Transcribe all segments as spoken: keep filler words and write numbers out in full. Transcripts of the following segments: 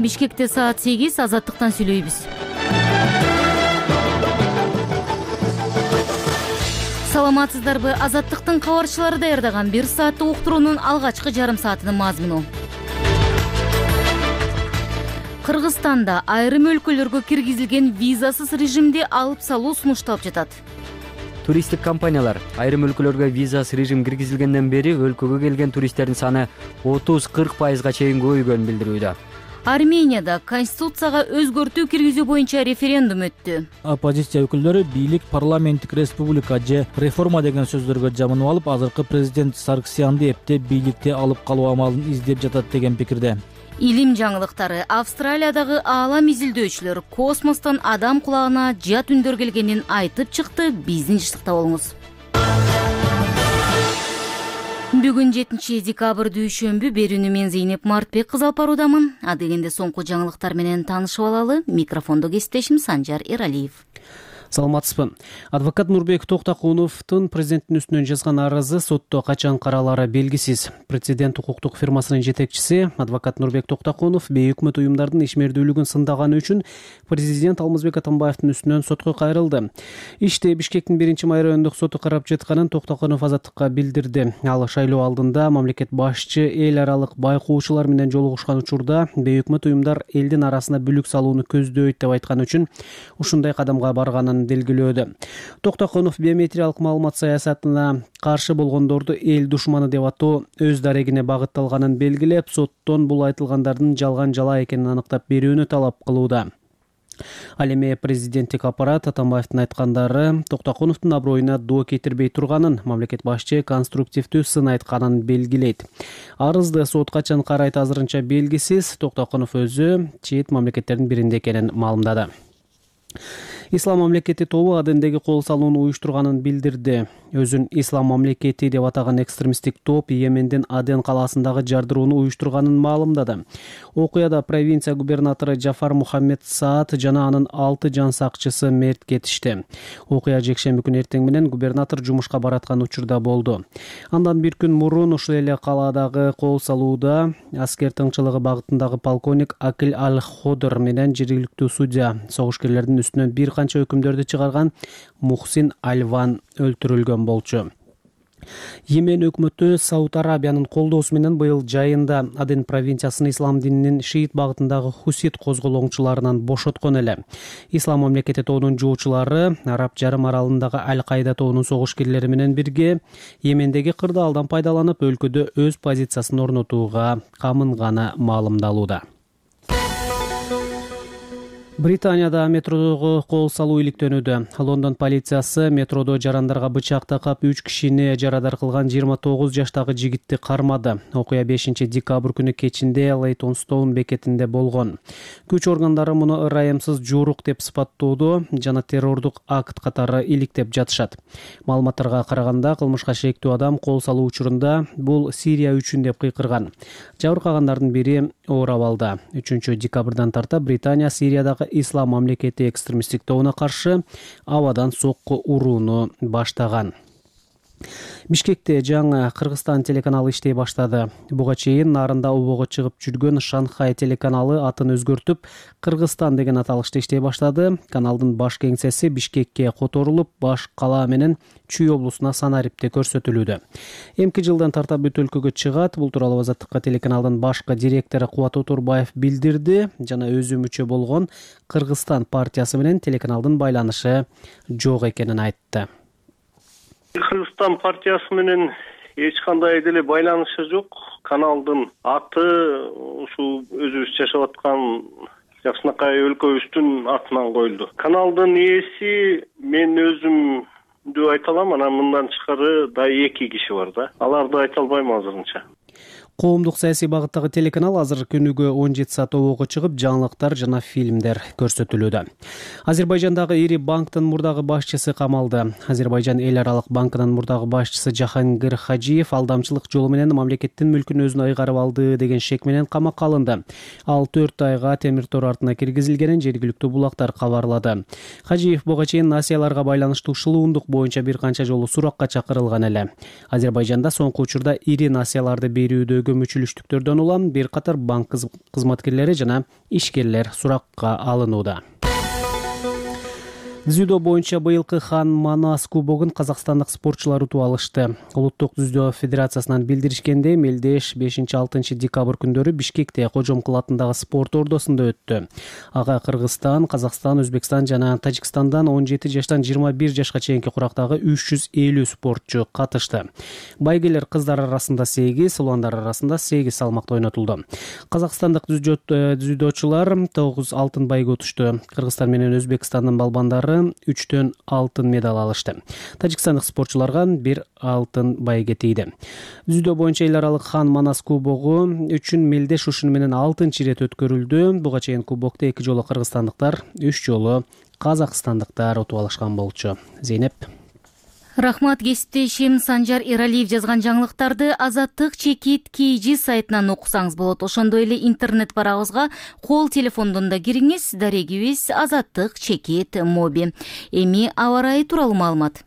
Бишкекте саат сегиз, Азаттыктан сүйлөйбүз. Саламатсыздарбы? Азаттыктын кабарчылары даярдаган бир сааттык уктуруунун алгачкы жарым саатынын мазмуну. Кыргызстанда айрым өлкөлөргө киргизилген визасыз режимди алып салуу сунушталып жатат. Туристтик компаниялар айрым өлкөлөргө визасыз режим киргизилгенден бери өлкөгө келген туристтердин саны отуз-кырк пайызга чейин көбөйгөнүн билдирүүдө. Арменияда конституцияга өзгөртүү киргизүү боюнча референдум өттү. Оппозиция өкүлдөрү бийлик парламенттик республика же реформа деген сөздөргө жамынып алып, азыркы президент Сарксянды эптеп бийликте алып калуу амалын издеп жатат деген пикирде. Илим жаңылыктары. Австралиядагы аалам изилдөөчүлөр космостон адам кулагына жат үндөр келгенин айтып чыкты. Биздин жыштыкта болуңуз. Бүгүн жетинчи декабрь дүйшөмбү. Берүүнү мен Зейнеп Мартбек кызы алып баруудамын. Адегенде соңку жаңылыктар менен таанышып алалы. Микрофондо кесиптешим Санжар Эралиев. Саламатсызбы. Адвокат Нурбек Токтакуновдун президенттин үстүнөн жазган арызы сотто качан каралары белгисиз. Прецедент укуктук фирмасынын жетекчиси адвокат Нурбек Токтакунов бейөкмөт уюмдардын ишмердүүлүгүн сындаганы үчүн президент Алмазбек Атамбаевдин үстүнөн сотко кайрылды. Ишти Бишкектин биринчи май райондук соту карап жатканын Токтакунов Азаттыкка билдирди. Ал шайлоо алдында мамлекет башчы эл аралык байкоочулар менен жолугушкан учурда бейөкмөт уюмдар элдин арасына бүлүк салууну көздөйт деп айткан үчүн ушундай кадамга барганын белгилөөдө. Токтакунов биометриялык маалымат саясатына каршы болгондорду эл душманы деп атоо өз дарегине багытталганын белгилеп, соттон бул айтылгандардын жалган жала экенин аныктап берүүнү талап кылууда. Ал эми президенттик аппарат Атамбаевдин айткандары Токтакуновдун аброюна доо кетирбей турганын, мамлекет башчы конструктивдүү сын айтканын белгилейт. Арызды сот качан карайт азырынча белгисиз. Токтакунов өзү чет мамлекеттердин биринде экенин маалымдады. Ислам мамлекети тобу Адендеги кол салууну уюштурганын билдирди. Өзүн Ислам мамлекети деп атаган экстремисттик топ Йемендин Аден калаасындагы жардырууну уюштурганын маалымдады. Окуяда провинция губернатору Джафар Мухаммед Саад жана анын алты жан сакчысы мерт кетишти. Окуя жекшемби күнү эртең менен губернатор жумушка бараткан учурда болду. Андан бир күн мурун ушул эле калаадагы кол салууда аскер тыңчылыгы багытындагы полковник Акил Аль-Ходор менен жергиликтүү судья согушкерлердин үстүнөн бир канча өкүмдөрдү чыгарган Мухсин Альван өлтүрүлгөн болчу. Йемен өкмөтү Сауд Арабиянын колдоосу менен быйыл жайында Аден провинциясын ислам дининин шиит багытындагы хусит козголоңчуларынан бошоткон эле. Ислам мамлекети тобунун жоочулары Араб жарым аралындагы Аль-Кайда тобунун согушкерлери менен бирге Йемендеги кырдаалдан пайдаланып өлкөдө өз позициясын орнотууга камынганы маалымдалууда. Британияда метродогу кол салуу иликтөнүүдө. Лондон полициясы метродо жарандарга бычак такап үч кишини жарадар кылган жыйырма тогуз жаштагы жигитти кармады. Окуя бешинчи декабрь күнү кечинде Лейтонстоун бекетинде болгон. Күч органдары муну ырайымсыз жуурук деп сыпаттоодо жана террордук акт катары иликтеп жатышат. Маалыматтарга караганда кылмышка шектүү адам кол салуу учурунда бул Сирия үчүн деп кыйкырган. Жабыркагандардын бири оор абалда. үчүнчү декабрдан тарта Британия Сириядагы Ислам мамлекети экстремисттик тобуна каршы абадан сокку урууну баштаган. Бишкекте жаңы Кыргызстан телеканалы иштей баштады. Буга чейин нарында обого чыгып жүргөн Шанхай телеканалы атын өзгөртүп, Кыргызстан деген аталышта иштей баштады. Каналдын баш кеңсеси Бишкекке которулуп, баш кала менен Чүй облусуна Санарипте көрсөтүлүүдө. Эмки жылдан тарта бүт өлкөгө чыгат. Бул тууралуу Азаттыкка телеканалдын башкы директору Кубат Отурбаев билдирди жана өзү мүчө болгон Кыргызстан партиясы менен телеканалдын байланышы жок экенин айтты. Кыргызстан партиясы менен эч кандай деле байланышы жок. Каналдын аты ушул өзүбүз жашап аткан жакшынакай өлкөбүздүн атынан коюлду. Каналдын ээси мен өзүмдү айта алам, анан мындан тышкары да эки киши бар да. Аларды айта албайм азырынча. Коомдук саясий багыттагы телеканал азыр күнүгө он жети саат обого чыгып, жаңылыктар жана фильмдер көрсөтүлүүдө. Азербайжандагы ири банктын мурдагы башчысы камалды. Азербайжан эл аралык банкынын мурдагы башчысы Жахангир Хажиев алдамчылык жолу менен мамлекеттин мүлкүн өзүнө ыйгарып алды деген шек менен камакка алынды. Ал төрт айга темир тор артына киргизилгенин жергиликтүү булактар кабарлады. Хажиев буга чейин насияларга байланыштуу шылуундук боюнча бир канча жолу суракка чакырылган эле. Азербайжанда соңку учурда ири насияларды берүүдөгү көмүчүлүштүктөрдөн улам бир катар банк кызматкерлери жана ишкерлер суракка алынууда. Дзюдо боюнча быйылкы Хан Манас кубогун казакстандык спортчулар утуп алышты. Улуттук дзюдо федерациясынан билдиришкендей, мелдеш бешинчи-алтынчы декабрь күндөрү Бишкекте Кожомкул атындагы спорт ордосунда өттү. Ага Кыргызстан, Казакстан, Өзбекстан жана Тажикстандан он жети жаштан жыйырма бир жашка чейинки курактагы үч жүз элүү спортчу катышты. Байгелер кыздар арасында сегиз, уландар арасында сегиз салмакта ойнотулду. Казакстандык дзюдочулар тогуз алтын байге утушту. Кыргызстан менен Өзбекстандын балбандары үчтөн алтын медаль алышты. Тажикстандык спортчуларга бир алтын байге тийди. Дзюдо боюнча эл аралык Хан Манас кубогу үчүн мелдеш ушуну менен алтынчы ирет өткөрүлдү. Буга чейин кубокто эки жолу кыргызстандыктар, үч жолу казакстандыктар утуп алышкан болчу. Зейнеп. Рахмат, кесиптешим Санжар Эралиев жазган жаңылыктарды Азаттык чекит Кж сайтынан окусаңыз болот. Ошондой эле интернет барабызга кол телефондон да кириңиз. Дарегибиз Азаттык чекит моби. Эми аба ырайы тууралуу маалымат.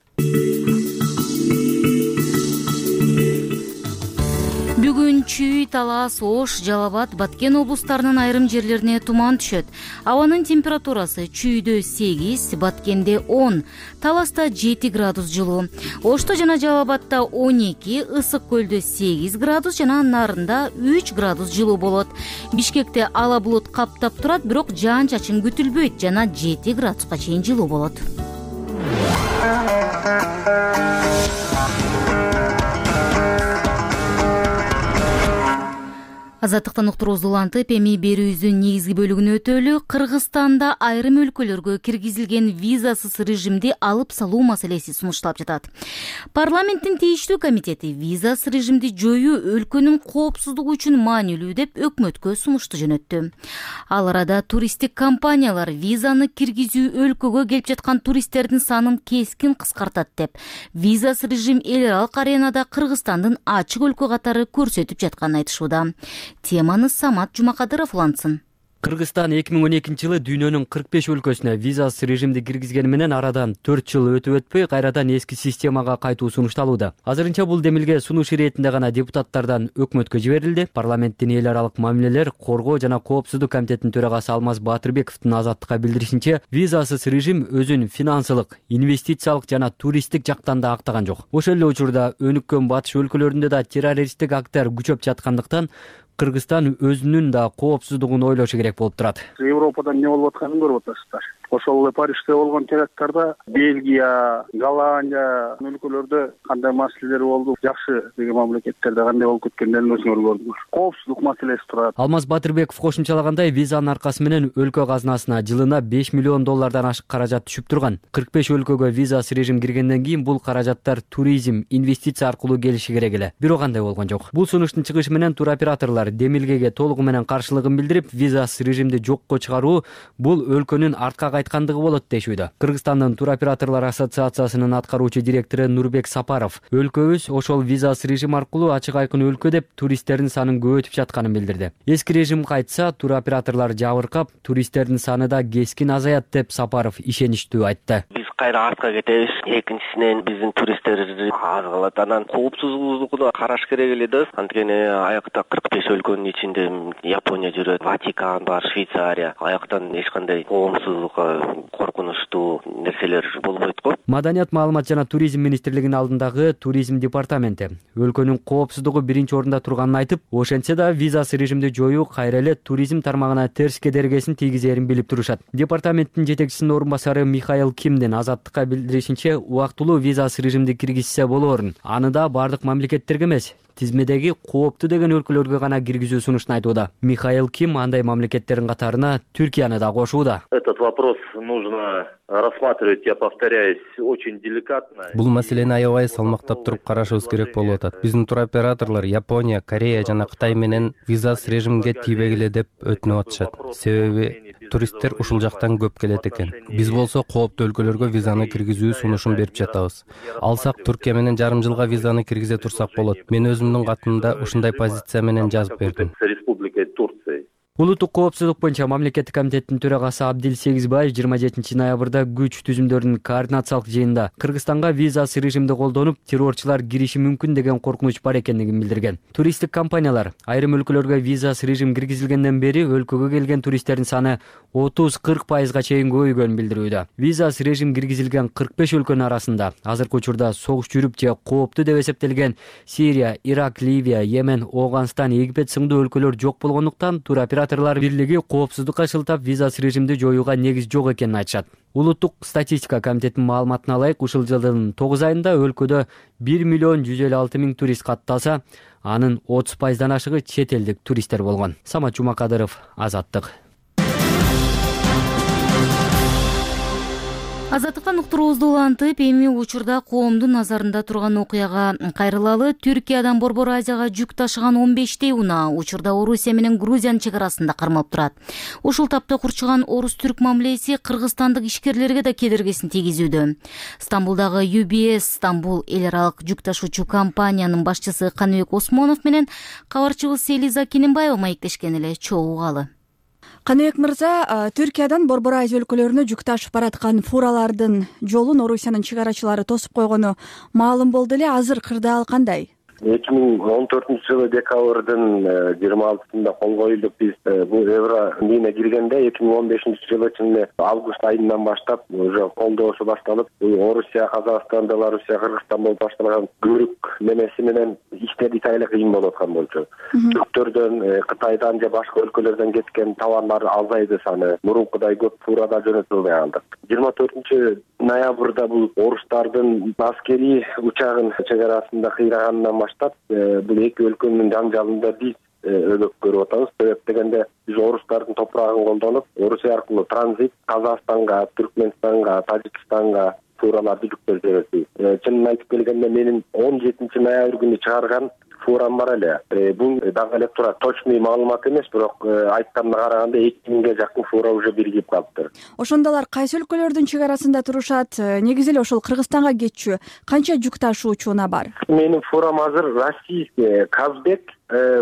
Бүгүн Чүй, Талас, Ош, Жалал Абад, Баткен облустарынын айрым жерлерине туман түшөт. Абанын температурасы Чүйдө сегиз, Баткенде он, Таласта жети градус жылуу. Ошто жана Жалал Абадта он эки, Ысык көлдө сегиз градус жана Нарында үч градус жылуу болот. Бишкекте ала булут каптап турат, бирок жаан-чачын күтүлбөйт жана жети градуска чейин жылуу болот. Азаттыктан уктуруубузду улантып, эми берүүбүздүн негизги бөлүгүнө өтөлү. Кыргызстанда айрым өлкөлөргө киргизилген визасыз режимди алып салуу маселеси сунушталып жатат. Парламенттин тийиштүү комитети визасыз режимди жоюу өлкөнүн коопсуздугу үчүн маанилүү деп өкмөткө сунушту жөнөттү. Ал арада туристтик компаниялар визаны киргизүү өлкөгө келип жаткан туристтердин санын кескин кыскартат деп, визасыз режим эл аралык аренада Кыргызстандын ачык өлкө катары көрсөтүп жатканын айтышууда. Теманы Самат Жумакадыров улантсын. Кыргызстан эки миң он экинчи жылы дүйнөнүн кырк беш өлкөсүнө визасыз режимди киргизгени менен арадан төрт жыл өтүп өтпөй кайрадан эски системага кайтуу сунушталууда. Азырынча бул демилге сунуш иретинде гана депутаттардан өкмөткө жиберилди. Парламенттин эл аралык мамилелер коргоо жана коопсуздук комитетинин төрагасы Алмаз Батырбековдун Азаттыкка билдиришинче, визасыз режим өзүн финансылык, инвестициялык жана туристтик жактан да актаган жок. Ошол эле учурда өнүккөн батыш өлкөлөрүндө да террористтик акттар күчөп жаткандыктан Кыргызстан өзүнүн да коопсуздугун ойлошу керек болуп турат. Европадан эмне болуп атканын көрүп атасыздар. Ошол эле Парижде болгон теракттарда Бельгия, Голландия өлкөлөрдө кандай маселелер болду, жакшы деген мамлекеттерде кандай болуп кеткендерин өзүңөр көрдүңөр. Коопсуздук маселеси турат. Алмаз Батырбеков кошумчалагандай, визанын аркасы менен өлкө казынасына жылына беш миллион доллардан ашык каражат түшүп турган. кырк беш өлкөгө визасыз режим киргенден кийин бул каражаттар туризм, инвестиция аркылуу келиши керек эле. Бирок андай болгон жок. Бул сунуштун чыгышы менен туроператорлор демилгеге толугу менен каршылыгын билдирип, визасыз режимди жокко чыгаруу бул өлкөнүн артка кайткандыгы болот дешүүдө. Кыргызстандын туроператорлор ассоциациясынын аткаруучу директору Нурбек Сапаров өлкөбүз ошол визасыз режим аркылуу ачык айкын өлкө деп туристтердин санын көбөйтүп жатканын билдирди. Эски режим кайтса, туроператорлор жабыркап, туристтердин саны да кескин азаят деп Сапаров ишеничтүү айтты. Биз кайра артка кетебиз. Экинчисинен биздин туристтер аз калат. Анан коопсуздугуна караш керек эле да. Анткени аякта кырк беш өлкөнүн ичинде Япония жүрөт, Ватикан бар, Швейцария. Аяктан эч кандай коопсуздукка коркунучтуу нерселер болбойт го. Маданият, маалымат жана туризм министрлигинин алдындагы туризм департаменти өлкөнүн коопсуздугу биринчи орунда турганын айтып, ошентсе да визасыз режимди жоюу кайра эле туризм тармагына терс кедергесин тийгизерин билип турушат. Департаменттин жетекчисинин орун басары Михаил Кимдин Азаттыкка билдиришинче, убактылуу визасыз режимди киргизсе болоорун. Аны да бардык мамлекеттерге эмес, тизмедеги кооптуу деген өлкөлөргө гана киргизүү сунуштун айтууда. Михаил Ким андай мамлекеттердин катарына Түркияны да кошууда. Этот вопрос нужно рассматривать, я повторяюсь, очень деликатно. Бул маселени аябай салмактап туруп карашыбыз керек болуп атат. Биздин туроператорлор Япония, Корея жана Кытай менен визасыз режимге тийбегиле деп өтүнүп атышат. Себеби туристтер ушул жактан көп келет экен. Биз болсо кооптуу өлкөлөргө визаны киргизүү сунушун берип жатабыз. Алсак Түркия менен жарым жылга визаны киргизе турсак болот. Мен өзүмдүн катымда ушундай позиция менен жазып бердим. Улуттук коопсуздук боюнча мамлекеттик комитеттин төрагасы Абдил Сегизбаев жыйырма жетинчи ноябрда күч түзүмдөрүнүн координациялык жыйынында Кыргызстанга визасыз режимди колдонуп, террорчулар кириши мүмкүн деген коркунуч бар экендигин билдирген. Туристтик компаниялар айрым өлкөлөргө визасыз режим киргизилгенден бери өлкөгө келген туристтердин саны отуз кырк пайызга чейин көбөйгөнүн билдирүүдө. Визасыз режим киргизилген кырк беш өлкөнүн арасында азыркы учурда согуш жүрүп же кооптуу деп эсептелген Сирия, Ирак, Ливия, Йемен, Ооганстан, Египет сындуу өлкөлөр жок болгондуктан туроператор бирлиги коопсуздукка шылтап визасыз режимди жоюуга негиз жок экенин айтышат. Улуттук статистика комитетинин маалыматына ылайык, ушул жылдын тогуз айында өлкөдө бир миллион жүз элүү алты миң турист катталса, анын отуз пайыздан ашыгы чет элдик туристтер болгон. Самат Жумакадыров, Азаттык. Азаттыктан уктуруубузду улантып, эми учурда коомдун назарында турган окуяга кайрылалы. Түркиядан Борбор Азияга жүк ташыган он бештей унаа учурда Орусия менен Грузиянын чек арасында кармалып турат. Ушул тапта курчуган орус-түрк мамилеси кыргызстандык ишкерлерге да кедергисин тийгизүүдө. Стамбулдагы ю би эс Стамбул эл аралык жүк ташуучу компаниянын башчысы Каныбек Осмонов менен кабарчыбыз Селиза Кененбаева маектешкен эле, чогуу угалы. Каныбек мырза, Түркиядан Борбор Азия өлкөлөрүнө жүк ташып бараткан фуралардын жолун Орусиянын чек арачылары тосуп койгону маалым болду эле. Азыр кырдаал кандай? эки миң он төртүнчү жылы декабрдын жыйырма алтысында кол коюлуп, биз бул евро мине киргенде эки миң он бешинчи жылы чын август айынан баштап уже колдоосу башталып, Орусия, Казакстан, Белоруссия, Кыргызстан болуп башталган көрүк немеси менен иштер итайла кыйын болуп аткан болчу. Түрктөрдөн, Кытайдан же башка өлкөлөрдөн кеткен товарлар азайды саны, мурункудай көп фурада жөнөтүлбөй калдык. жыйырма төртүнчү ноябрда бул орустардын аскерий учагын чек арасында кыйраганынан баштап бул эки өлкөнүн жаңжалында биз өлөк көрүп атабыз. Себеп дегенде биз орустардын топурагын колдонуп, Орусия аркылуу транзит Казакстанга, Түркмөнстанга, Тажикстанга фураларды жүктөп жибердик. Чынын айтып келгенде менин он жетинчи ноябрь күнү чыгарган фурам бар эле. Бул дагы эле тура точный маалымат эмес, бирок айтканына караганда эки миңге жакын фура уже биригип калыптыр. Ошондо алар кайсы өлкөлөрдүн чек арасында турушат? Негизи эле ошол Кыргызстанга кетчү канча жүк ташуучу унаа бар? Менин фурам азыр российский Казбек,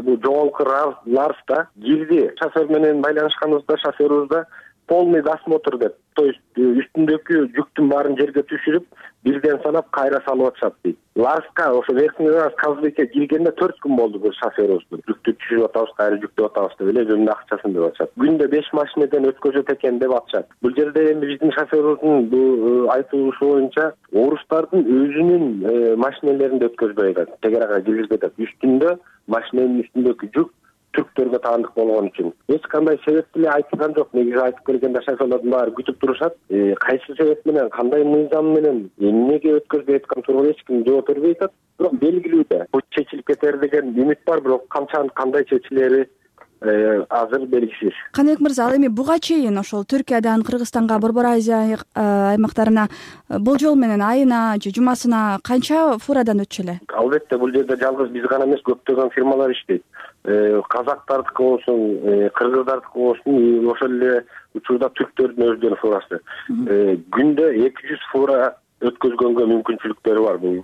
бул жогорку Ларста кирди. Шофер менен байланышканыбызда шоферубузда полный досмотр деп, то есть үстүндөгү жүктүн баарын жерге түшүрүп, бирден санап кайра салып атышат дейт. Ларска, ошо Верхний Ларс Казбекке киргенде төрт күн болду бул шоферубуз. Жүктү түшүрүп атабыз, кайра жүктөп атабыз деп эле өзүнүн акчасын деп атышат. Күндө беш машинеден өткөзөт экен деп атышат. Бул жерде эми биздин шоферубуздун бул айтуусу боюнча орустардын өзүнүн машинелеринде өткөзбөй атат, чек арага киргизбей атат. Үстүндө машиненин үстүндөгү жүк түрктөргө таандык болгон үчүн эч кандай себеп деле айтылган жок. Негизи айтып келгенде шоферлордун баары күтүп турушат. Кайсы себеп менен, кандай мыйзам менен, эмнеге өткөзбөй аткан тууралуу эч ким жооп бербей атат. Бирок белгилүү да, бул чечилип кетер деген үмүт бар, бирок канча кандай чечилери азыр белгисиз. Каныбек мырза, ал эми буга чейин ошол Түркиядан Кыргызстанга, Борбор Азия аймактарына болжол менен айына же жумасына канча фурадан өтчү эле? Албетте, бул жерде жалгыз биз гана эмес, көптөгөн фирмалар иштейт. Казактардыкы болсун, кыргыздардыкы болсун, ошол эле учурда түрктөрдүн өздөрүнүн фурасы. Күндө эки жүз фура өткөзгөнгө мүмкүнчүлүктөрү бар бул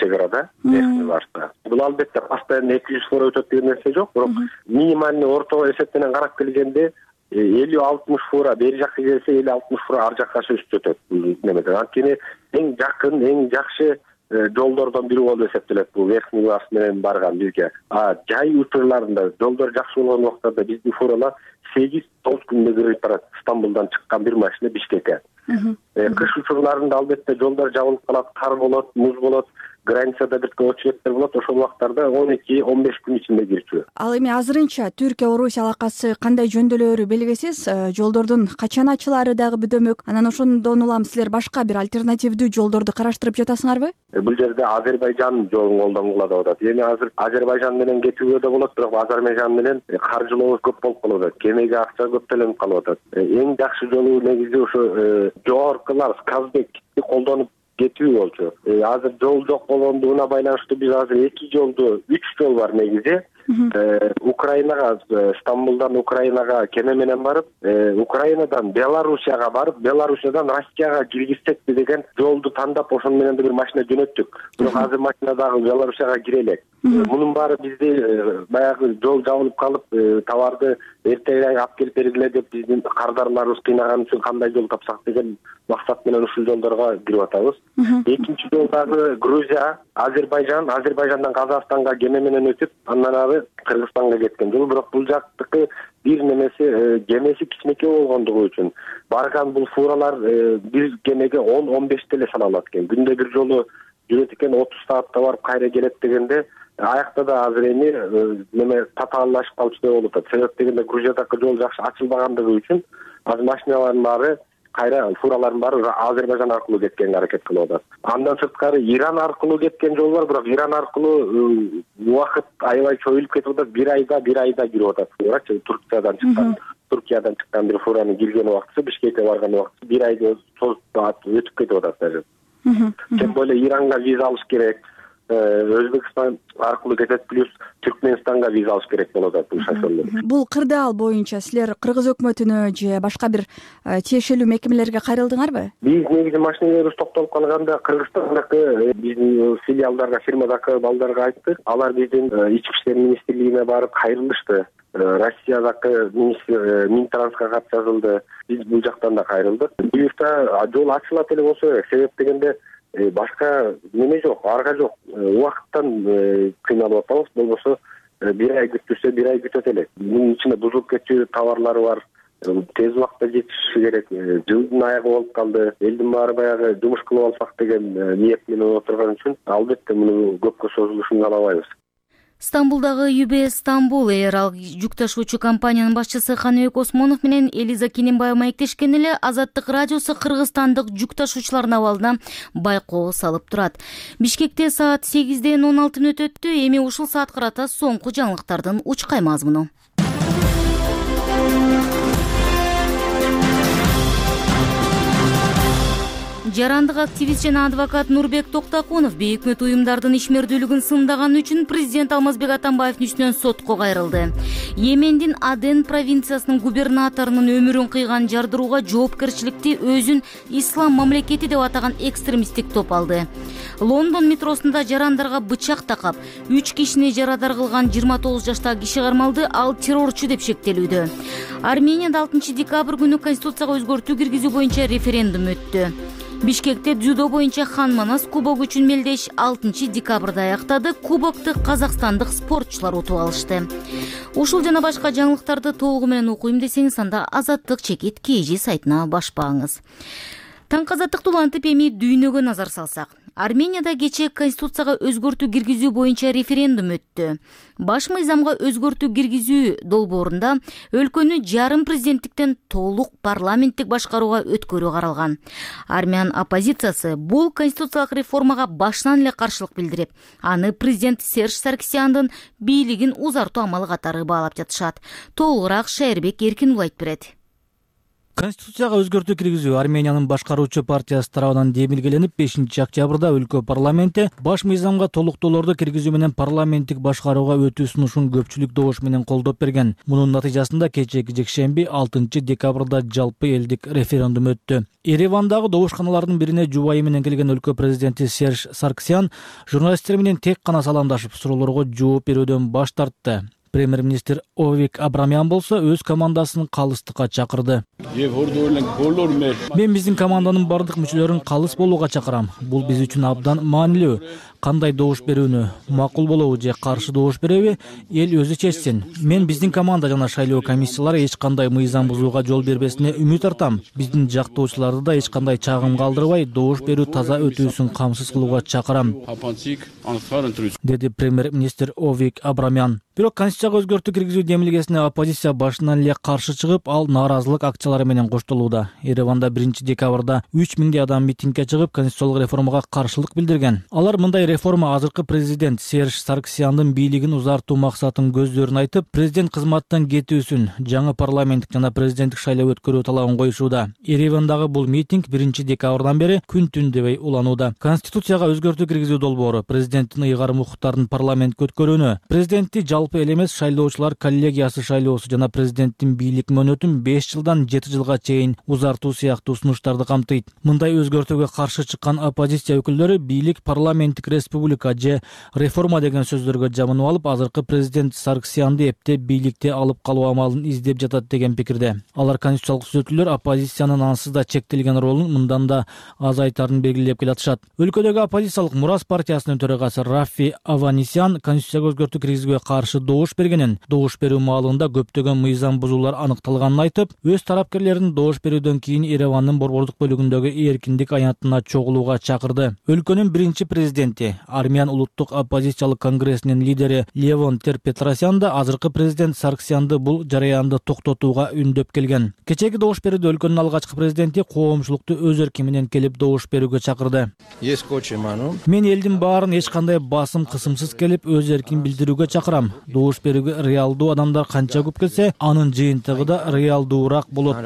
чек арада. Бул албетте постоянно эки жүз фура өтөт деген нерсе жок, бирок минимальный орто эсеп менен карап келгенде элүү алтымыш фура бери жакка келсе, элүү алтымыш фура ар жакка өтөт. Немеден анткени эң жакын, эң жакшы жолдордон бири болуп эсептелет бул Верхний Ларс менен барган бизге. А жай учурларында жолдор жакшы болгон убактарда биздин фуралар сегиз тогуз күндө кирип барат. Стамбулдан чыккан бир машина Бишкекке. Кыш учурларында албетте жолдор жабылып калат, кар болот, муз болот, границада бир очередтер болот. Ошол убактарда он эки он беш күн ичинде кирчү. Ал эми азырынча Түркия Орусия алакасы кандай жөндөөлөрү белгисиз. Жолдордун качан ачылаары дагы бөдөмөк. Анан ошондон улам силер башка бир альтернативдүү жолдорду караштырып жатасыңарбы? Бул жерде Азербайжан жолун колдонгула деп атат. Эми азыр Азербайжан менен кетүүгө да болот, бирок Азербайжан менен каржылоо көп болуп калып атат. Кемеге акча көп төлөнүп калып атат. Эң жакшы жолу негизи ошо жогоркулар Казбекти колдонуп кетүү болчу. Азыр жол жок болгондугуна байланыштуу биз азыр эки жолду, үч жол бар негизи. Украинага, Стамбулдан Украинага кеме менен барып, Украинадан Белоруссияга барып, Белоруссиядан Россияга киргизсекпи деген жолду тандап, ошону менен да бир машина жөнөттүк. Бирок азыр машина дагы Белоруссияга кире элек. мунун баары бизди баягы жол жабылып калып товарды эртең алып келип бергиле деп биздин кардарларыбыз кыйнаган үчүн кандай жол тапсак деген максат менен ушул жолдорго кирип атабыз. Экинчи жол дагы Грузия, Азербайжан, Азербайжандан Казакстанга кеме менен өтүп, андан ары Кыргызстанга кеткен жол. Бирок бул жактыкы бир немеси кемеси кичинекей болгондугу үчүн барган бул фуралар бир кемеге он он беш деле сала алат экен. Күндө бир жолу жүрөт экен, отуз саатта барып кайра келет дегенде аякта да азыр эми неме татааллашып калчу деп болуп атат. Себеп дегенде Грузиядагы жол жакшы ачылбагандыгы үчүн азыр машиналардын баары кайра фуралардын баары Азербайжан аркылуу кеткенге аракет кылып атат. Андан сырткары Иран аркылуу кеткен жол бар, бирок Иран аркылуу убакыт аябай чоюлуп кетип атат. Бир айда, бир айда кирип атат. Туркиядан чыккан, Туркиядан чыккан бир фуранын кирген убактысы, Бишкекке барган убактысы бир айда өтүп кетип атат даже. Тем более Иранга виза алыш керек. Өзбекстан аркылуу кетет, плюс Түркмөнстанга виза алыш керек болот атат бул шоферлер. Бул кырдаал боюнча силер Кыргыз өкмөтүнө же башка бир тиешелүү мекемелерге кайрылдыңарбы? Биз негизи машинелерибиз токтолуп калганда Кыргызстандагы биздин филиалдарга, фирмадагы балдарга айттык. Алар биздин ички иштер министрлигине барып кайрылышты. Россиядагы Минтрансга кат жазылды. Биз бул жактан да кайрылдык. Буюрта жол ачылат эле болсо керек. Себеп дегенде башка неме жок, арга жок. Убакыттан кыйналып атабыз. Болбосо бир ай күттүрсө бир ай күтөт элек. Мунун ичинде бузулуп кетчү товарлар бар. Тез убакытта жетиши керек. Жылдын аягы болуп калды. Элдин баары баягы жумуш кылып алсак деген ниет менен отурган үчүн албетте муну көпкө созулушун каалабайбыз. Стамбулдагы ю би эс Стамбул Air ал жүк ташуучу компаниянын башчысы Ханыбек Осмонов менен Элиза Кененбаева маектешкен эле Азаттык радиосу кыргызстандык жүк ташуучулардын абалына байкоо салып турат. Бишкекте саат сегизден он алты мүнөт өттү. Эми ушул саат карата соңку жаңылыктардын учкай мазмуну. Жарандык активист жана адвокат Нурбек Токтакунов бейөкмөт уюмдардын ишмердүүлүгүн сындаган үчүн президент Алмазбек Атамбаевдин үстүнөн сотко кайрылды. Йемендин Аден провинциясынын губернаторунун өмүрүн кыйган жардырууга жоопкерчиликти өзүн ислам мамлекети деп атаган экстремисттик топ алды. Лондон метросунда жарандарга бычак такап, үч кишини жарадар кылган жыйырма тогуз жаштагы киши кармалды, ал террорчу деп шектелүүдө. Арменияда алтынчы декабрь күнү конституцияга өзгөртүү киргизүү боюнча референдум өттү. Бишкекте дзюдо боюнча Хан Манас кубогу үчүн мелдеш алтынчы декабрда аяктады. Кубокты казакстандык спортчулар утуп алышты. Ушул жана башка жаңылыктарды толугу менен окуйм десеңиз, анда Азаттык чекит kg сайтына башпаңыз. Таң азаттыктуу антип эми дүйнөгө назар салсак. Арменияда кечээ конституцияга өзгөртүү киргизүү боюнча референдум өттү. Баш мыйзамга өзгөртүү киргизүү долбоорунда өлкөнү жарым президенттиктен толук парламенттик башкарууга өткөрүү каралган. Армян оппозициясы бул конституциялык реформага башынан эле каршылык билдирип, аны президент Серж Саркисяндын бийлигин узартуу амалы катары баалап жатышат. Толугураак Шайырбек Эркинул айтып берет. Конституцияга өзгөртүү киргизүү Армениянын башкаруучу партиясы тарабынан демилгеленип, бешинчи октябрда өлкө парламенти баш мыйзамга толуктоолорду киргизүү менен парламенттик башкарууга өтүү сунушун көпчүлүк добуш менен колдоп берген. Мунун натыйжасында кечээки жекшемби алтынчы декабрда жалпы элдик референдум өттү. Еревандагы добушканалардын бирине жубайы менен келген өлкө президенти Серж Саркисян журналисттер менен тек гана саламдашып, суроолорго жооп берүүдөн баш тартты. Премьер-министр Овик Абрамян болсо өз командасын калыстыкка чакырды. Мен биздин команданын бардык мүчөлөрүн калыс болууга чакырам. Бул биз үчүн абдан маанилүү. Кандай добуш берүүнү, макул болобу же каршы добуш береби, эл өзү чечсин. Мен биздин команда жана шайлоо комиссиялары эч кандай мыйзам бузууга жол бербесине үмүт артам. Биздин жактоочуларды да эч кандай чагым калтырбай, добуш берүү таза өтүүсүн камсыз кылууга чакырам, деди премьер-министр Овик Абрамян. Бирок конституцияга өзгөртүү киргизүү демилгесине оппозиция башынан эле каршы чыгып, ал нааразылык акциялары менен коштолууда. Ереванда биринчи декабрда үч миңдей адам митингге чыгып, конституциялык реформага каршылык билдирген. Алар мындай реформа азыркы президент Серж Саркисяндын бийлигин узартуу максатын көздөрүн айтып, президент кызматтан кетүүсүн, жаңы парламенттик жана президенттик шайлоо өткөрүү талабын коюшууда. Еревандагы бул митинг биринчи декабрдан бери күн түн дебей уланууда. Конституцияга өзгөртүү киргизүү долбоору президенттин ыйгарым укуктарын парламентке өткөрүүнү, президентти жалпы эл эмес шайлоочулар коллегиясы шайлоосу жана президенттин бийлик мөөнөтүн беш жылдан жети жылга чейин узартуу сыяктуу сунуштарды камтыйт. Мындай өзгөртүүгө каршы чыккан оппозиция өкүлдөрү бийлик парламенттик республика же реформа деген сөздөргө жабынып алып, азыркы президент Сарксянды эптеп бийликте алып калуу амалын издеп жатат деген пикирде. Алар конституциялык түзөтүүлөр оппозициянын ансыз да чектелген ролун мындан да азайтарын белгилеп келатышат. Өлкөдөгү оппозициялык Мурас партиясынын төрагасы Рафи Аванисян конституцияга өзгөртүү киргизүүгө каршы добуш бергенин, добуш берүү маалында көптөгөн мыйзам бузуулар аныкталганын айтып, өз тарапкерлерин добуш берүүдөн кийин Еревандын борбордук бөлүгүндөгү эркиндик аянтына чогулууга чакырды. Өлкөнүн биринчи президенти, Армян улуттук оппозициялык конгрессинин лидери Левон Тер-Петросян да азыркы президент Сарксянды бул жараянды токтотууга үндөп келген. Кечээги добуш берүүдө өлкөнүн алгачкы президенти коомчулукту өз эрки менен келип добуш берүүгө чакырды. Мен элдин баарын эч кандай басым кысымсыз келип өз эркин билдирүүгө чакырам. Добуш берүүгө реалдуу адамдар канча көп келсе, анын жыйынтыгы да реалдуураак болот,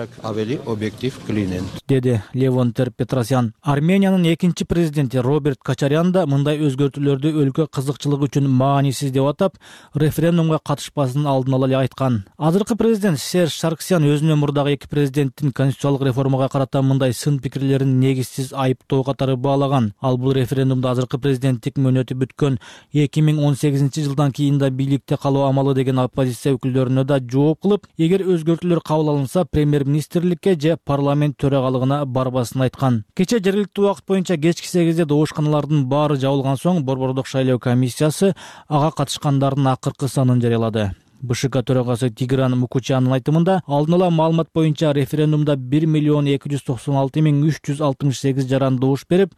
деди Левон Тер-Петросян. Армениянын экинчи президенти Роберт Качарян да мындай өзгөртүүлөрдү өлкө кызыкчылыгы үчүн маанисиз деп атап, референдумга катышпасын алдын ала эле айткан. Азыркы президент Серж Сарксян өзүнөн мурдагы эки президенттин конституциялык реформага карата мындай сын пикирлерин негизсиз айыптоо катары баалаган. Ал бул референдумда азыркы президенттик мөөнөтү бүткөн эки миң он сегизинчи жылдан кийин да бийликте калуу амалы деген оппозиция өкүлдөрүнө да жооп кылып, эгер өзгөртүүлөр кабыл алынса, премьер-министрликке же парламент төрагалыгына барбасын айткан. Кече жергиликтүү убакыт боюнча кечки сегизде добушканалардын баары жабылган соң борбордук шайлоо комиссиясы ага катышкандардын акыркы санын жарыялады. БШК төрагасы Тигран Мукучанын айтымында, алдын ала маалымат боюнча референдумда бир миллион эки жүз токсон алты миң үч жүз алтымыш сегиз жаран добуш берип,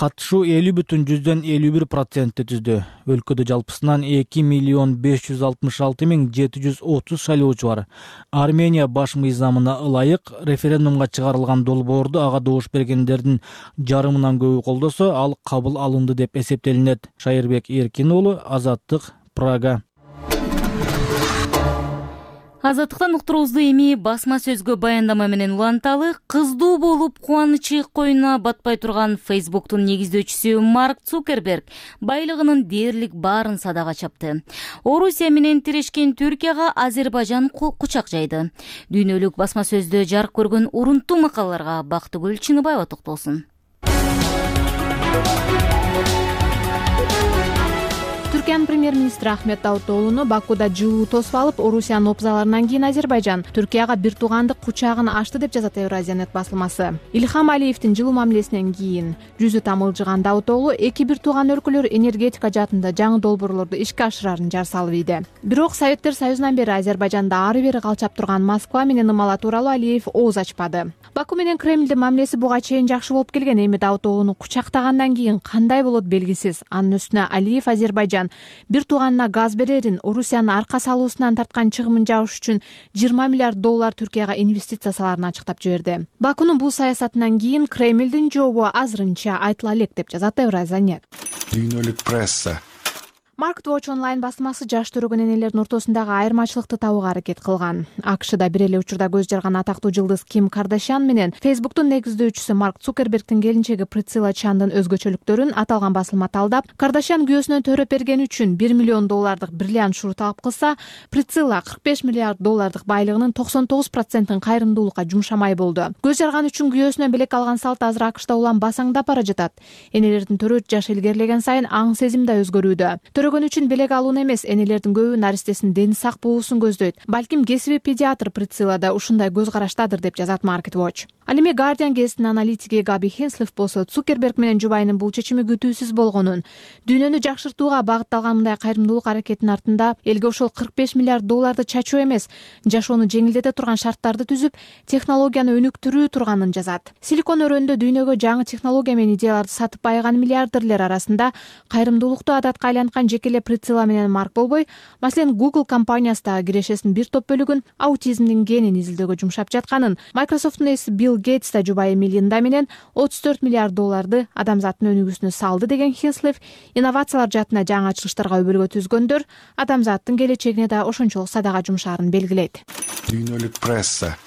катышуу элүү бүтүн жүздөн элүү бир процентти түздү. Өлкөдө жалпысынан эки миллион беш жүз алтымыш алты миң жети жүз отуз шайлоочу бар. Армения баш мыйзамына ылайык референдумга чыгарылган долбоорду ага добуш бергендердин жарымынан көбү колдосо, ал кабыл алынды деп эсептелинет. Шайырбек Эркин уулу, Азаттык, Прага. Азаттыктан уктуруубузду эми басма сөзгө баяндама менен уланталы. Кыздуу болуп кубанычы коюна батпай турган Facebook'тун негиздөөчүсү Марк Цукерберг байлыгынын дээрлик баарын садага чапты. Орусия менен тирешкен Түркияга Азербайжан кучак жайды. Дүйнөлүк басма сөздө жарык көргөн урунттуу макалаларга Бактыгүл Чыныбаева токтолсун. Түркиянын премьер-министри Ахмет Давутоглуну Бакуда жылуу тосуп алып, Орусиянын опзаларынан кийин Азербайжан Түркияга бир туугандык кучагын ачты деп жазат Евразиянет басылмасы. Илхам Алиевдин жылуу мамилесинен кийин жүзү тамылжыган Давутоглу эки бир тууган өлкөлөр энергетика жаатында жаңы долбоорлорду ишке ашырарын жар салып ийди. Бирок Советтер Союзунан бери Азербайжанда ары бери калчап турган Москва менен ымала тууралуу Алиев ооз ачпады. Баку менен Кремлдин мамилеси буга чейин жакшы болуп келген, эми Давутоглуну кучактагандан кийин кандай болот белгисиз. Анын үстүнө Алиев Азербайжан бир тууганына газ берерин, Орусиянын арка салуусунан тарткан чыгымын жабыш үчүн жыйырма миллиард доллар Түркияга инвестиция саларын ачыктап жиберди. Бакунун бул саясатынан кийин Кремлдин жообу азырынча айтыла элек деп жазат Евразиянет. Дүйнөлүк пресса. Market Watch онлайн басмасы жаш төрөгөн энелердин ортосундагы айырмачылыкты табууга аракет кылган. АКШда бир эле учурда көз жарган атактуу жылдыз Ким Кардашьян менен Facebook'тун негиздөөчүсү Марк Цукербергдин келинчеги Прицилла Чандын өзгөчөлүктөрүн аталган басылма талдап, Кардашьян күйөөсүнөн төрөп бергени үчүн бир миллион доллардык бриллиант шуруп алып кылса, Прицилла кырк беш миллиард доллардык байлыгынын токсон тогуз процентин кайрымдуулукка жумшамай болду. Көз жарган үчүн күйөөсүнөн белек алган салт азыр АКШда улам басаңдап бара жатат. Энелердин төрөт жашы илгерилеген сайын аң сезим да өзгөрүүдө. Төрөгөн үчүн белек алууну эмес, энелердин көбү наристесин дени сак болуусун көздөйт. Балким кесиби педиатр Прицилла да ушундай көз караштадыр деп жазат Market Watch. Ал эми Guardian гезитинин аналитиги Габи Хенслиф болсо Цукерберг менен жубайынын бул чечими күтүүсүз болгонун, дүйнөнү жакшыртууга багытталган мындай кайрымдуулук аракетинин артында элге ошол кырк беш миллиард долларды чачуу эмес, жашоону жеңилдете турган шарттарды түзүп, технологияны өнүктүрүү турганын жазат. Силикон өрөөнүндө дүйнөгө жаңы технология менен идеяларды сатып байыган миллиардерлер арасында кайрымдуулукту адатка айланткан жекеле Прицилла менен Марк болбой, маселен Google компаниясы да кирешесинин бир топ бөлүгүн аутизмдин генин изилдөөгө жумшап жатканын, Microsoft'тун ээси Билл Гейтс да жубайы Мелинда менен отуз төрт миллиард долларды адамзаттын өнүгүүсүнө салды деген Хенслиф, инновациялар жаатына жаңы ачылыштарга өбөлгө түзгөндөр адамзаттын келечегине да ошончолук садага жумшаарын белгилейт. Дүйнөлүк пресса.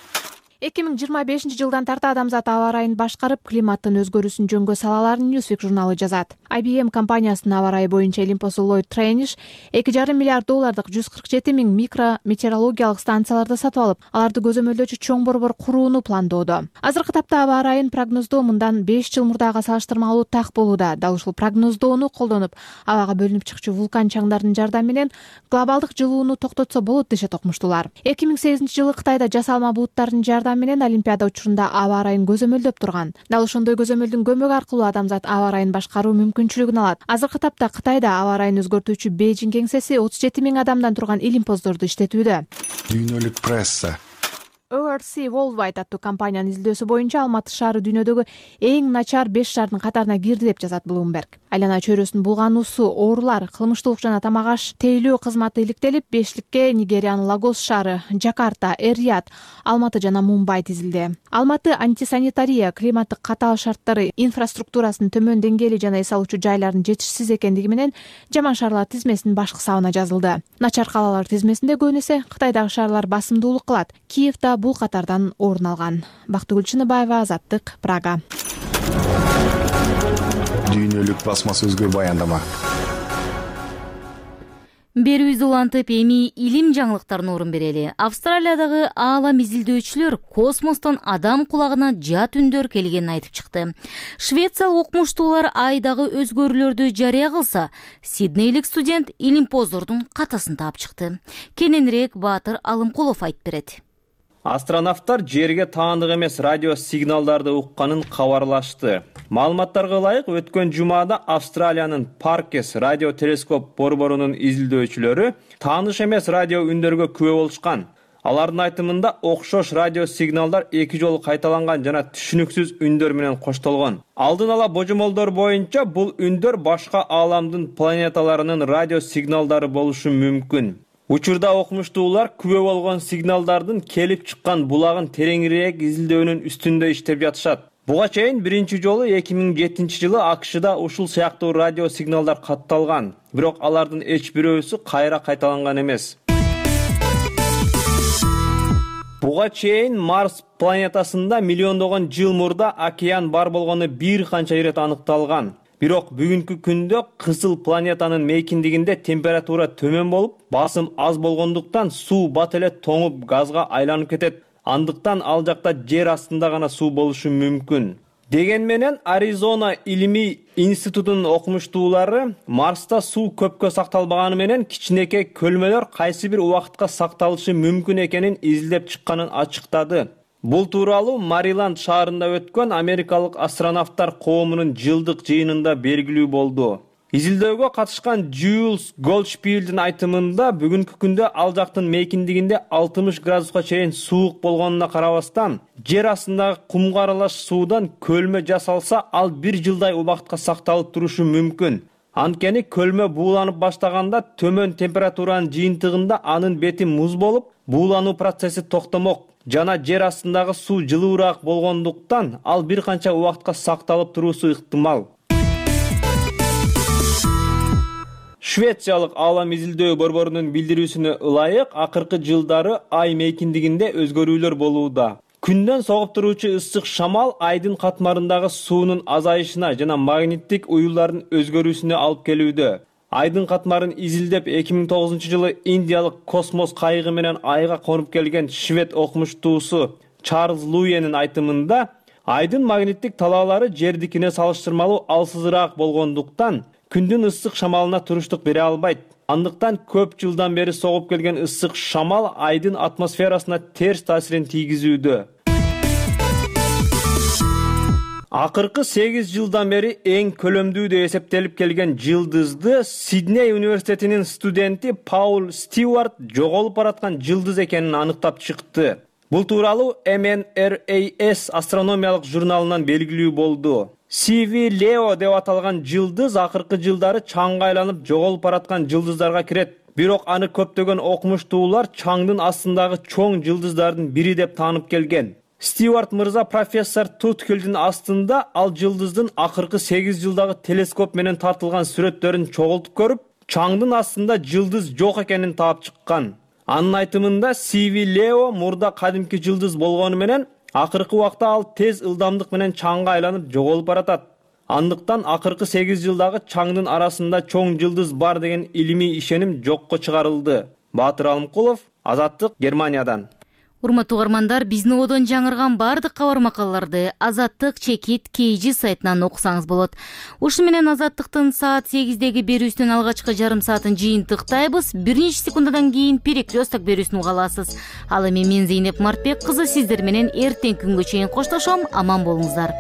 эки миң жыйырма бешинчи жылдан тарта адамзат аба ырайын башкарып, климаттын өзгөрүүсүн жөнгө салаларын Newsweek журналы жазат. ай би эм компаниясынын аба ырайы боюнча илимпоздо Lloyd Trenish эки жарым миллиард доллардык жүз кырк жети миң микро метеорологиялык станцияларды сатып алып, аларды көзөмөлдөөчү чоң борбор курууну пландоодо. Азыркы тапта аба ырайын прогноздоо мындан беш жыл мурдага салыштырмалуу так болууда. Дал ушул прогноздоону колдонуп, абага бөлүнүп чыкчу вулкан чаңдарынын жардамы менен глобалдык жылууну токтотсо болот дешет окумуштуулар. эки миң сегизинчи жылы Кытайда жасалма булуттардын жардамы менен Олимпиада учурунда аба ырайын көзөмөлдөп турган. Дал ошондой көзөмөлдүн көмөгү аркылуу адамзат аба ырайын башкаруу мүмкүнчүлүгүн алат. Азыркы тапта Кытайда аба ырайын өзгөртүүчү Бейжиң кеңсеси отуз жети миң адамдан турган илимпоздорду иштетүүдө. Дүйнөлүк пресса. о эр си Worldwide аттуу компаниянын изилдөөсү боюнча Алматы шаары дүйнөдөгү эң начар беш шаардын катарына кирди деп жазат Bloomberg. Айлана чөйрөсүн булгануусу, оорулар, кылмыштуулук жана тамак аш тейлөө кызматы иликтелип, бештикке Нигериянын Лагос шаары, Жакарта, Эр-Рияд, Алматы жана Мумбай тизилди. Алматы антисанитария, климаттык катаал шарттары, инфраструктурасынын төмөн деңгээли жана эс алуучу жайлардын жетишсиз экендиги менен жаман шаарлар тизмесинин башкы сабына жазылды. Начар калалар тизмесинде көбүн эсе Кытайдагы шаарлар басымдуулук кылат. Киев да бул катардан орун алган. Бактыгүл Чыныбаева, Азаттык, Прага. Дүйнөлүк басма сөзгө баяндама. Берүүбүздү улантып, эми илим жаңылыктарына орун берели. Австралиядагы аалам изилдөөчүлөр космостон адам кулагына жат үндөр келгенин айтып чыкты. Швециялык окумуштуулар айдагы өзгөрүүлөрдү жарыя кылса, Сиднейлик студент илимпоздордун катасын таап чыкты. Кененирээк Баатыр Алымкулов айтып берет. Астронавттар жерге таандык эмес радио сигналдарды укканын кабарлашты. Маалыматтарга ылайык, өткөн жумада Австралиянын Паркес радио телескоп борборунун изилдөөчүлөрү тааныш эмес радио үндөргө күбө болушкан. Алардын айтымында окшош радио сигналдар эки жолу кайталанган жана түшүнүксүз үндөр менен коштолгон. Алдын ала божомолдор боюнча бул үндөр башка ааламдын планеталарынын радио сигналдары болушу мүмкүн. Учурда окумуштуулар күбө болгон сигналдардын келип чыккан булагын тереңирээк изилдөөнүн үстүндө иштеп жатышат. Буга чейин биринчи жолу эки миң жетинчи жылы АКШда ушул сыяктуу радио сигналдар катталган, бирок алардын эч бирөөсү кайра кайталанган эмес. Буга чейин Марс планетасында миллиондогон жыл мурда океан бар болгону бир канча ирет аныкталган. Бирок бүгүнкү күндө кызыл планетанын мейкиндигинде температура төмөн болуп, басым аз болгондуктан суу бат эле тоңуп газга айланып кетет. Андыктан ал жакта жер астында гана суу болушу мүмкүн. Деген менен Аризона илимий институтунун окумуштуулары Марста суу көпкө сакталбаганы менен кичинекей көлмөлөр кайсы бир убакытка сакталышы мүмкүн экенин изилдеп чыкканын ачыктады. Бул тууралуу Мариланд шаарында өткөн америкалык астронавттар коомунун жылдык жыйынында белгилүү болду. Изилдөөгө катышкан Джулс Голдшпилдин айтымында бүгүнкү күндө ал жактын мейкиндигинде алтымыш градуска чейин суук болгонуна карабастан, жер астындагы кумга аралаш суудан көлмө жасалса, ал бир жылдай убакытка сакталып турушу мүмкүн. Анткени көлмө бууланып баштаганда төмөн температуранын жыйынтыгында анын бети муз болуп, буулануу процесси токтомок жана жер астындагы суу жылуураак болгондуктан ал бир канча убакытка сакталып туруусу ыктымал. Швециялык аалам изилдөө борборунун билдирүүсүнө ылайык, акыркы жылдары ай мейкиндигинде өзгөрүүлөр болууда. Күндөн согуп туруучу ысык шамал айдын катмарындагы суунун азайышына жана магниттик уюлдардын өзгөрүүсүнө алып келүүдө. Айдын катмарын изилдеп эки миң тогузунчу жылы Индиялык космос кайыгы менен айга конуп келген швед окумуштуусу Чарльз Луенин айтымында, айдын магниттик талаалары жердикине салыштырмалуу алсызыраак болгондуктан күндүн ысык шамалына туруштук бере албайт. Андыктан көп жылдан бери согуп келген ысык шамал айдын атмосферасына терс таасирин тийгизүүдө. Акыркы сегиз жылдан бери эң көлөмдүү деп эсептелип келген жылдызды Сидней университетинин студенти Паул Стюарт жоголуп бараткан жылдыз экенин аныктап чыкты. Бул тууралуу эм эн эр эй эс астрономиялык журналынан белгилүү болду. си ви Leo деп аталган жылдыз акыркы жылдары чаңга айланып жоголуп бараткан жылдыздарга кирет. Бирок аны көптөгөн окумуштуулар чаңдын астындагы чоң жылдыздардын бири деп таанып келген. Стюарт мырза профессор Туткелдин астында ал жылдыздын акыркы сегиз жылдагы телескоп менен тартылган сүрөттөрүн чогултуп көрүп, чаңдын астында жылдыз жок экенин таап чыккан. Анын айтымында Сиви Лео мурда кадимки жылдыз болгону менен акыркы убакта ал тез ылдамдык менен чаңга айланып жоголуп баратат. Андыктан акыркы сегиз жылдагы чаңдын арасында чоң жылдыз бар деген илимий ишеним жокко чыгарылды. Баатыр Алымкулов, Азаттык, Германиядан. Урматтуу угармандар, биздин ободон жаңырган бардык кабар макалаларды Азаттык чекит кей жи сайтынан окусаңыз болот. Ушу менен Азаттыктын саат сегиздеги берүүсүнүн алгачкы жарым саатын жыйынтыктайбыз. Бир нече секундадан кийин перекресток берүүсүн уга аласыз. Ал эми мен Зейнеп Мартбек кызы сиздер менен эртең күнгө чейин коштошом. Аман болуңуздар.